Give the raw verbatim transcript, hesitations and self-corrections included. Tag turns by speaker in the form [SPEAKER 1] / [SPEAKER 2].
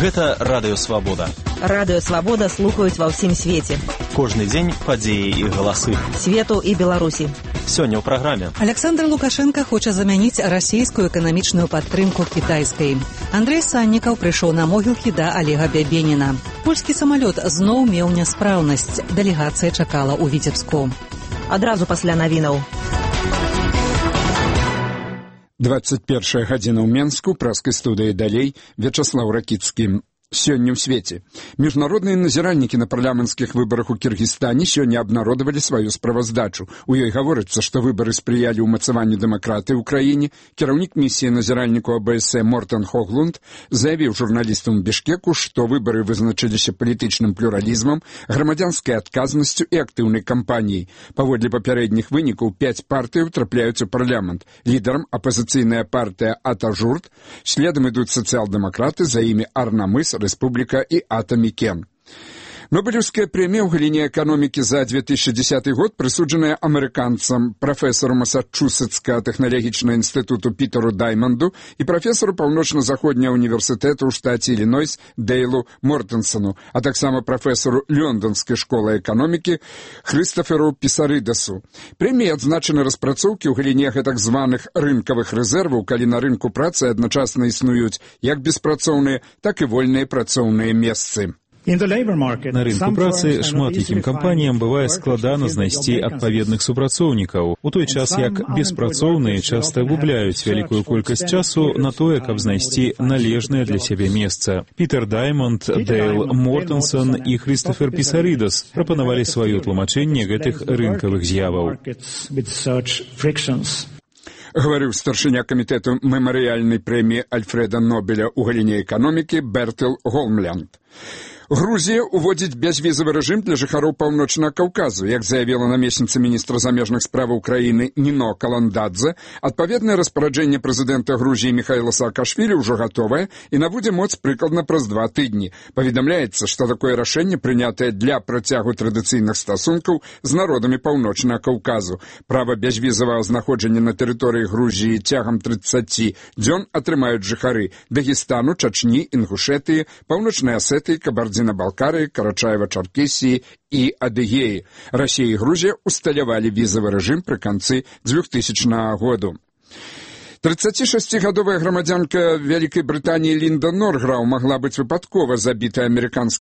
[SPEAKER 1] Гэта Радыё Свабода.
[SPEAKER 2] Радыё Свабода слухаюць ва ўсім свеце.
[SPEAKER 1] Кожны дзень падзеі і галасы.
[SPEAKER 2] Свету і Беларусі.
[SPEAKER 1] Сёння ў праграме.
[SPEAKER 3] Александр Лукашенко хоча замяніць расійскую эканамічную падтрымку кітайскай. Андрэй Саннікаў прыйшоў на могілкі да Олега Бябеніна. Польскі самалёт зноў меў няспраўнасць. Дэлегацыя чакала ў Віцебску.
[SPEAKER 2] Адразу пасля навінаў.
[SPEAKER 4] двадцать першая гадзіна ў Менску, праскай студыі далей, Вячаслаў Ракіцкі. Сёння ў свеце. Міжнародныя назіральнікі на парламенцкіх выбарах у Кіргізстане сёння абнародавалі сваю справаздачу. У ёй гаворыцца, што выбары спрыялі ўмацаванню дэмакратыі ў краіне. Кіраўнік місіі назіральніку А Б С Мортен Хоглунд заявіў журналістам у Бішкеку, што выбары вызначыліся палітычным плюралізмам, грамадзянскай адказнасцю і актыўнай кампаніяй. Паводле папярэдніх вынікаў пяць партыяў трапляюць у парламент. Лідарам апазіцыйная партыя Атажурт, следам ідуць сацыял-дэмакраты, за імі Арнамыс, Рэспубліка і Атамікен. Нобелевская прэмія ў галіне эканомікі за две тысячи десятый год прысуджаная амерыканцам, прафесару Масачусетскага тэхналагічнага інстытуту Пітеру Даймонду і прафесару паўночна-заходняга універсітэту ў штаце Іллінойс Дейлу Мортенсону, а таксама прафесару Лёндонскай школы эканомікі Хрыстоферу Пісарыдасу. Прэміяй адзначаны распрацоўкі ў галіне гэтак званых рынкавых рэзерваў, калі на рынку працы адначасна існуюць як беспрацоўныя, так і вольныя працоўныя месцы.
[SPEAKER 5] На рынку працы шмат якім кампаніям бывае складана знайсці адпаведных супрацоўнікаў, у той час як беспрацоўныя часта губляюць вялікую колькасць часу на тое, каб знайсці належнае для сябе месца. Пітер Даймонд, Дейл Мортенсон і Хрыстофер Пісарыдас прапанавалі сваё тлумачэнне гэтых рынкавых з'яваў.
[SPEAKER 4] Гаварыў старшыня камітэту мемарыяльнай прэміі Альфрэда Нобеля ў галіне эканомікі Бертел Голмлянд. Грузія ўводзіць бязвізавы рэжым для жыхароў Паўночнага Каўказу. Як заявіла намесніца міністра замежных справаў краіны Ніно Каландадзе, адпаведнае распараджэнне прэзідэнта Грузіі Міхаіла Саакашвілі ўжо гатовае і набудзе моц прыкладна праз два тыдні. Паведамляецца, што такое рашэнне прынятае для працягу традыцыйных стасункаў з народамі Паўночнага Каўказу. Права бязвізавага знаходжання на тэрыторыі Грузіі цягам трыццаці дзён атрымаюць жыхары Дагестану, Чачні, Інгушэтыі, Паўночнай Асетыі, Кабардзіна-Балкарыі, Карачаева-Чаркесіі і Адыгеі. Расія і Грузія усталявалі візавы рэжым пры канцы двухтысячнага году. трыццацішасцігадовая грамадзянка Вялікай Брытаніі Лінда Норграу магла быць выпадкова забітая амерыканскімі